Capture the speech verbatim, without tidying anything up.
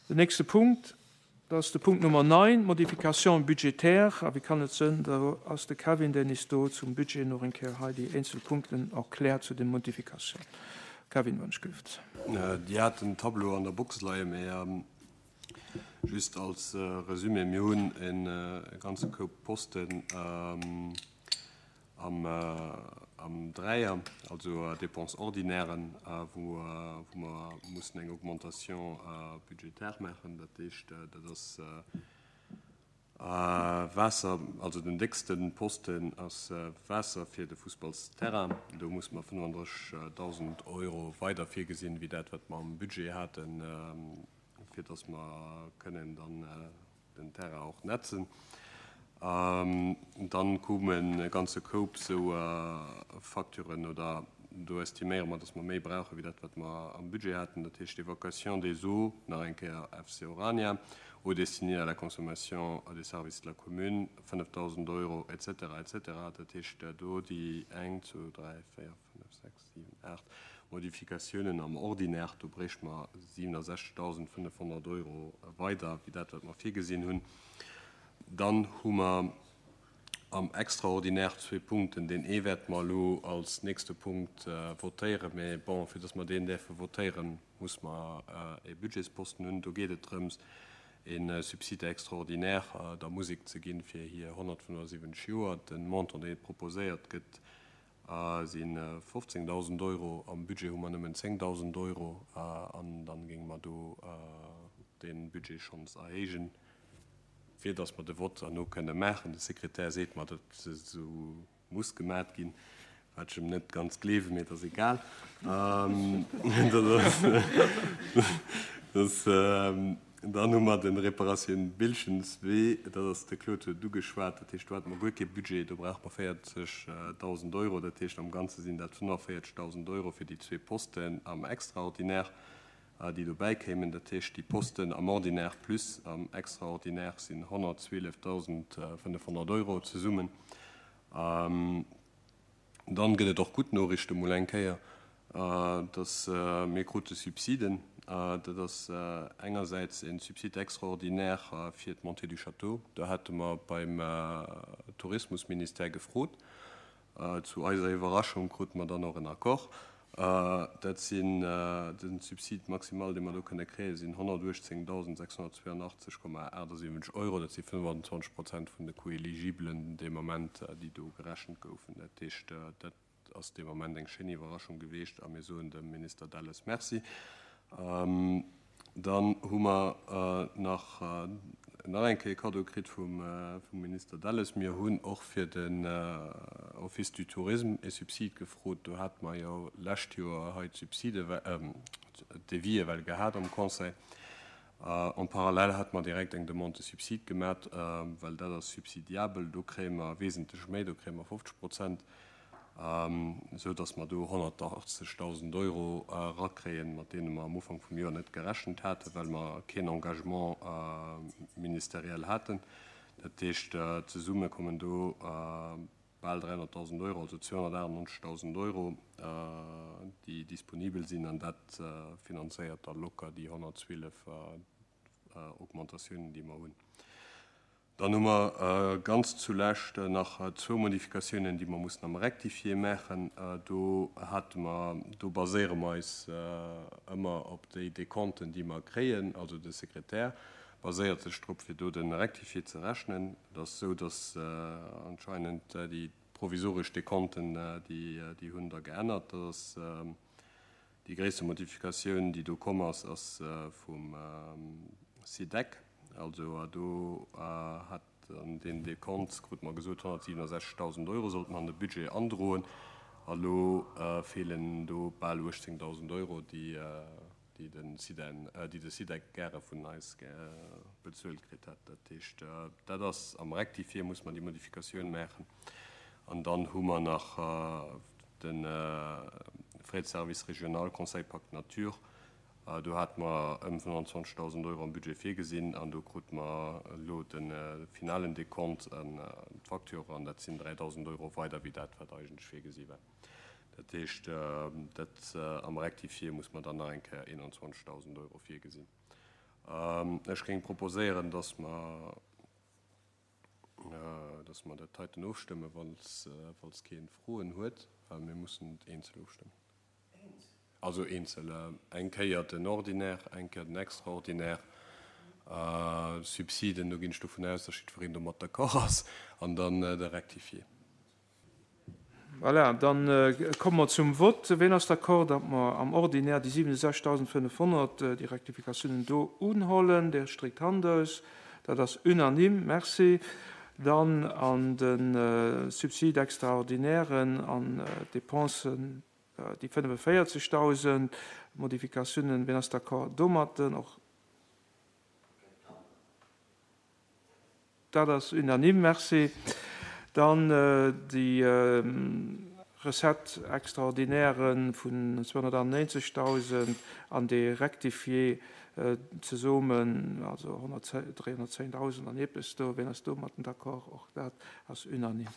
Den nächste Punkt, dat ass de Punkt Nummer neun, Modification budgétaire. A wéi kann et sinn, do ass de Kevin, deen is do zum Budget nach eng Kéier hei déi eenzel Punkten erkläert zu den Modifikatiounen. Kevin, wann ech Dir hat den Tableau an der Box leien, mee just als Resumé, mir hunn e ganze Koup Posten am am Dräier, also Dépenses ordinairen, wou wou mer mussen eng Augmentation budgétaire maachen. Dat heescht, dat ass Waasser, also den déckste Posten ass Waasser fir de Fussballsterrain. Do musse mer fënnefandrëssegdausend Euro weider virgesinn, wéi dat, wat mer am Budget haten, fir dass mer kënnen dann den Terrain och netzen. Dann koumen e ganze Koup sou Facturen, oder do estiméiere mer, dass mer méi brauche wéi dat, wat mer am Budget haten. Dat heescht Évacuation des eaux, nach eng Kéier F C Orania, eaux destinées à la consommation des services de la commune, fënnefdausend Euro, et cetera et cetera. Dat heescht do déi eng, zwou, dräi, véier, fënnef, sechs, siwen, aacht Modifikatiounen am Ordinaire, do bréichte mer siwenesechzegdausendfënnefhonnert Euro weider wéi dat, wat mer virgesinn hunn. Dann hu mer am Extraordinaire zwee Punkten. Deen ee wäerte mer elo als nächste Punkt votéieren, mee bon, fir dass mer deen däerfe votéieren, muss mer e Budgetsposten hunn. Do geet et drëms, e Subside extraordinaire der Musek ze ginn fir hir honnertfënnefensiwwenzeg Joer. Den Montant, dee proposéiert gëtt, si fofzéngdausend Euro. Am Budget hu mer nëmmen zéngdausend Euro an dann géinge mer do de Budget schonns erhéijen, fir dass mer de Vott herno kënne maachen. De Sekretär seet mer, dat esou muss gemaat ginn, wat ech em net ganz gleewen, mee et ass egal. Dat ass, dat dann hu mer den Reparatioun Bilschenswee, dat ass, de Claude huet ugeschwat, dat heescht, do hate mer guer kee Budget, do brauche mer véierzegdausend Euro, dat heescht am Ganze sinn dat fënnefenvéierzegdausend Euro fir déi zwee Posten am Extraordinaire, déi dobäi kéimen. Dat heescht, déi Posten am Ordinaire plus am Extraordinaire sinn honnertzwielefdausendfënnefhonnert Euro zesummen. Dann gëtt et och gutt Noriichte mol eng Kéier, dass mir krute Subsiden. Dat ass engersäits e Subside extraordinaire fir d'Montée du Château. Do hate mer beim Tourismusministère gefrot. Zu eiser Iwwerraschung krute mer dann och en Accord. Dat sinn den Subside maximal, dee mer do kënne kréien, sinn honnertuechtzéngdausendsechshonnertzweeanachtzeg Komma achtesiwwenzeg Euro. Dat si fënnefenzwanzeg Prozent vun de Coûts éligiblen dee Moment, déi do gerechent goufen. Dat heescht, dat ass dee Moment eng schéin Iwwerraschung gewiescht a mir soen dem Minister Delles Merci. Dann hu mer nach nach eng Kéier Cadeau kritt vum vum Minister Delles. Mir hunn och fir den Office du Tourisme e Subsid gefrot. Do hate mer jo lescht Joer hei d'Subside, d'Devis well gehat am Conseil. En parallèle hate mer direkt eng Demande de subside gemat, well dat ass subsidiabel. Do kréie mer wesentlech méi, do kréie mer fofzeg Prozent, esou dass mer do honnertachtzegdausend Euro erakréien, mat deene mer am Ufank vum Joer net gerechent haten, well mer keen Engagement ministériel haten. Dat heescht, zesumme kommen do bal dräihonnertdausend Euro, also zweehonnertachtennonzegdausend Euro, déi disponibel sinn, an dat finanzéiert da locker déi honnertzwielef Augmentatiounen, déi mer hunn. Dann hu mer ganz zulescht nach zwou Modifikatiounen, déi mer mussen am Rectifié maachen. Do hate mer, do baséiere mer eis ëmmer op déi Dekonten, déi mer kréien, also de Sekretär baséiert sech drop, fir do de Rectifié ze rechnen. Et ass esou, dass anscheinend déi provisoresch Dekonten, déi déi hunn da geännert. Dat ass déi gréisste Modifikatioun, déi do komm ass, ass vum SIDEC. Also do hat an den Dekont, krute mer gesot, honnertsiwenesechzegdausend Euro sollte mer an de Budget androen. A lo feelen do bal uechtzéngdausend Euro, déi déi den SIDEN, déi de SIDEC gäre vun eis bezuelt kritt hätt. Dat heescht, dat ass am Rectifié, muss mer déi Modifikatioun maachen. An dann hu mer nach de Frais de service régional Conseil Pacte Nature. Do hate mer ëm fënnefenzwanzegdausend Euro am Budget virgesinn an do krute mer elo de finalen Dekont an d'Facture an dat sinn dräidausend Euro weider wéi dat, wat eigentlech virgesi war. Dat heescht, dat am Rectifié muss mer dann nach eng Kéier eenanzwanzegdausend Euro virgesinn. Ech géing proposéieren, dass mer, dass mer dat heiten ofstëmmen, falls, falls keen Froen huet, well mir mussen et eenzel ofstëmmen. Also eenzel, eng Kéier den Ordinaire, eng Kéier den Extraordinaire. Subsiden, do ginn ech dovun aus, dass jiddwereen domat d'accord ass, an dann de Rectifié. Voilà, dann komme mer zum Vott. Ween ass d'accord, datt mer am Ordinaire déi siwenundsechzegdausendfënnefhonnert, déi Rectificatiounen do unhollen? Där stréckt d'Hand aus. Dat ass unanime. Merci. Dann an de Subside extraordinairen an d'Dépensen, déi fënnefenvéierzegdausend Modifikatiounen. Ween ass d'accord domatten? Och dat ass unanime. Merci. Dann déi Recette extraordinaire vun zweehonnertaneunzegdausend an déi Rectifié zesummen, also dräihonnertzéndausend an eppes do. Wien ass domatten d'accord? Och dat ass unanime.